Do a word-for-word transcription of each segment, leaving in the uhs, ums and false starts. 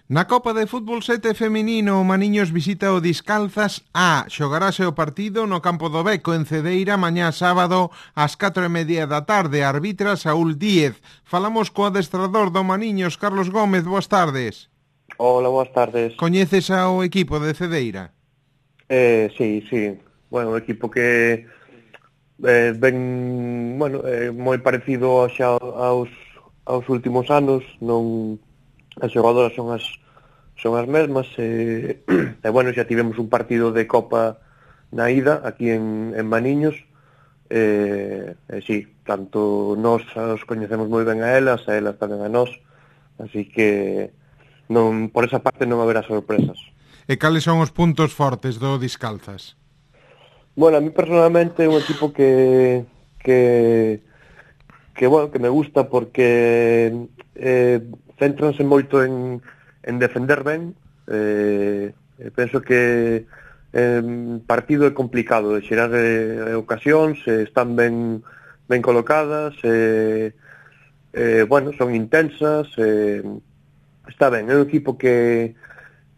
Na Copa de Fútbol sete feminino, o Maniños visita o Discalzas A. Xogarase o partido no campo do Beco en Cedeira mañá sábado ás catro e media da tarde. Arbitra Saúl Díez. Falamos co adestrador do Maniños, Carlos Gómez. Boas tardes. Hola, boas tardes. Coñeces ao equipo de Cedeira? Eh, sí, sí. Bueno, un equipo que eh, ben, bueno, eh, moi parecido xa aos, aos últimos anos. Non, as xogadoras son as son as mesmas e, e bueno, xa tivemos un partido de Copa na ida aquí en, en Maniños e, e sí, tanto nós os coñecemos moi ben a elas e elas tamén a nós, así que non, por esa parte non haberá sorpresas. E cales son os puntos fortes do Discalzas? Bueno, a mí personalmente é un equipo que que que bueno, que me gusta porque eh, céntranse moito en en defender ben. Eh, penso que eh, partido é complicado de xerar eh, ocasións, eh, están ben ben colocadas, eh, eh, bueno, son intensas, eh, está ben, é un equipo que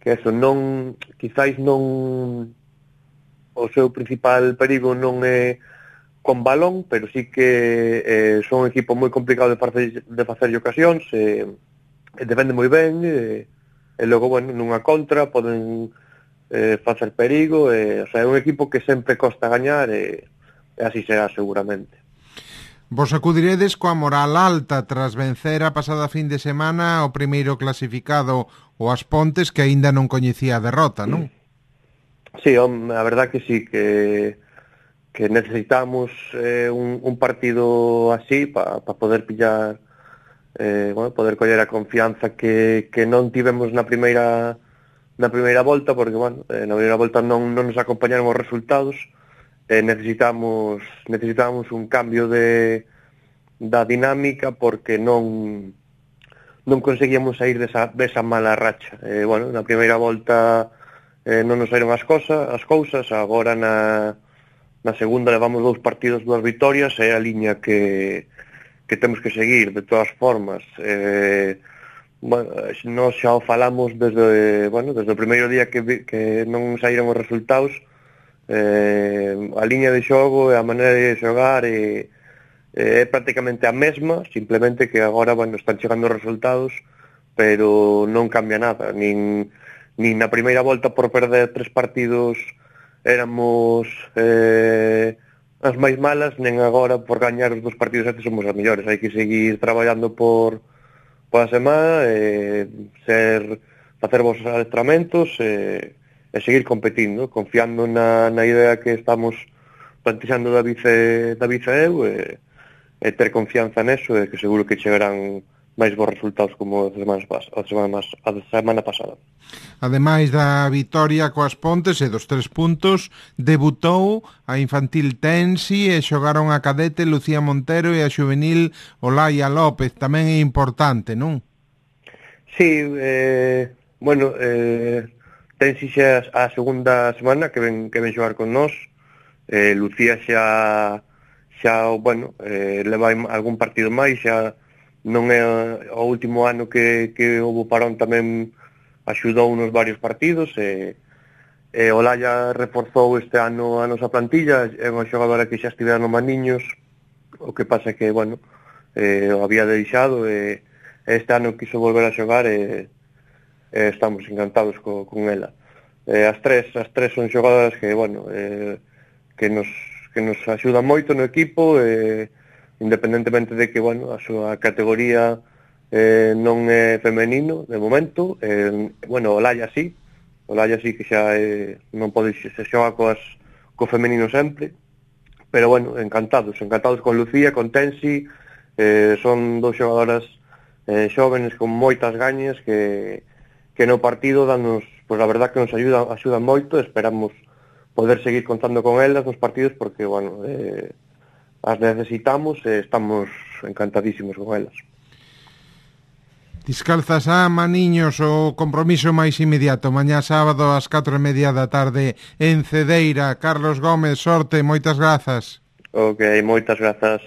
que eso non, quizáis non, o seu principal perigo non é con balón, pero sí que eh, son un equipo moi complicado de facer de facer ocasións, eh, defende moi ben, eh, e logo, bueno, nunha contra poden eh, facer perigo, eh, o sea, é un equipo que sempre costa gañar e, e así será seguramente. Vos acudiredes coa moral alta tras vencer a pasada fin de semana o primeiro clasificado, o As Pontes, que aínda non coñecía a derrota, non? Sí, hom, a verdad que sí, que que necesitamos eh, un, un partido así para pa poder pillar Eh, bueno, poder coller a confianza que, que non tivemos na primeira na primeira volta, porque bueno, eh, na primeira volta non, non nos acompañaron os resultados, eh, necesitamos necesitamos un cambio de da dinámica porque non non conseguíamos sair desa, desa mala racha. Eh, bueno, na primeira volta eh, non nos saíron as cosas, as cousas, agora na, na segunda levamos dous partidos, dúas vitorias, é a liña que que temos que seguir, de todas formas. Eh, bueno, nós xa o falamos desde, bueno, desde o primeiro día que, que non saíron os resultados, eh, a liña de xogo e a maneira de xogar é, é prácticamente a mesma, simplemente que agora, bueno, están chegando os resultados, pero non cambia nada, nin, nin na primeira volta por perder tres partidos éramos eh, as máis malas, nen agora por gañar os dos partidos estes somos as mellores. Hai que seguir traballando por, por a semana, eh, ser, facer vos adestramentos eh, e seguir competindo, confiando na, na idea que estamos plantexando da vice, da vice eu e, e ter confianza neso e que seguro que chegarán máis bons resultados como a semana, a semana, a semana pasada. Ademais da vitoria coas Pontes e dos tres puntos, debutou a infantil Tensi e xogaron a cadete Lucía Montero e a xuvenil Olaya López. Tamén é importante, non? Sí, eh, bueno, eh, Tensi xa a segunda semana que ven, que ven xogar con nós. Eh, Lucía xa, xa bueno, eh, leva algún partido máis, xa non é o último ano que, que houve parón, tamén axudou nos varios partidos e, e Olaya reforzou este ano a nosa plantilla, é unha xogadora que xa estivera no Maniños, o que pasa que, bueno, eh, o había deixado e este ano quiso volver a xogar e, e estamos encantados co, con ela. Eh, as tres as tres son xogadoras que, bueno, eh, que nos que nos axudan moito no equipo e independentemente de que, bueno, a súa categoría eh, non é femenino de momento, eh, bueno, Olaya sí, Olaya sí que xa eh, non pode se xoga coas, co femenino sempre, pero bueno, encantados, encantados con Lucía, con Tensi, eh, son dos xogadoras eh, xóvenes con moitas gañas que, que no partido danos, pois pues, a verdad que nos ayudan, axudan moito, esperamos poder seguir contando con elas nos partidos porque, bueno, eh, as necesitamos e estamos encantadísimos con elas. Discalzas a Maniños, o compromiso máis inmediato mañá sábado ás catro e media da tarde en Cedeira. Carlos Gómez, sorte, moitas grazas. Ok, moitas grazas.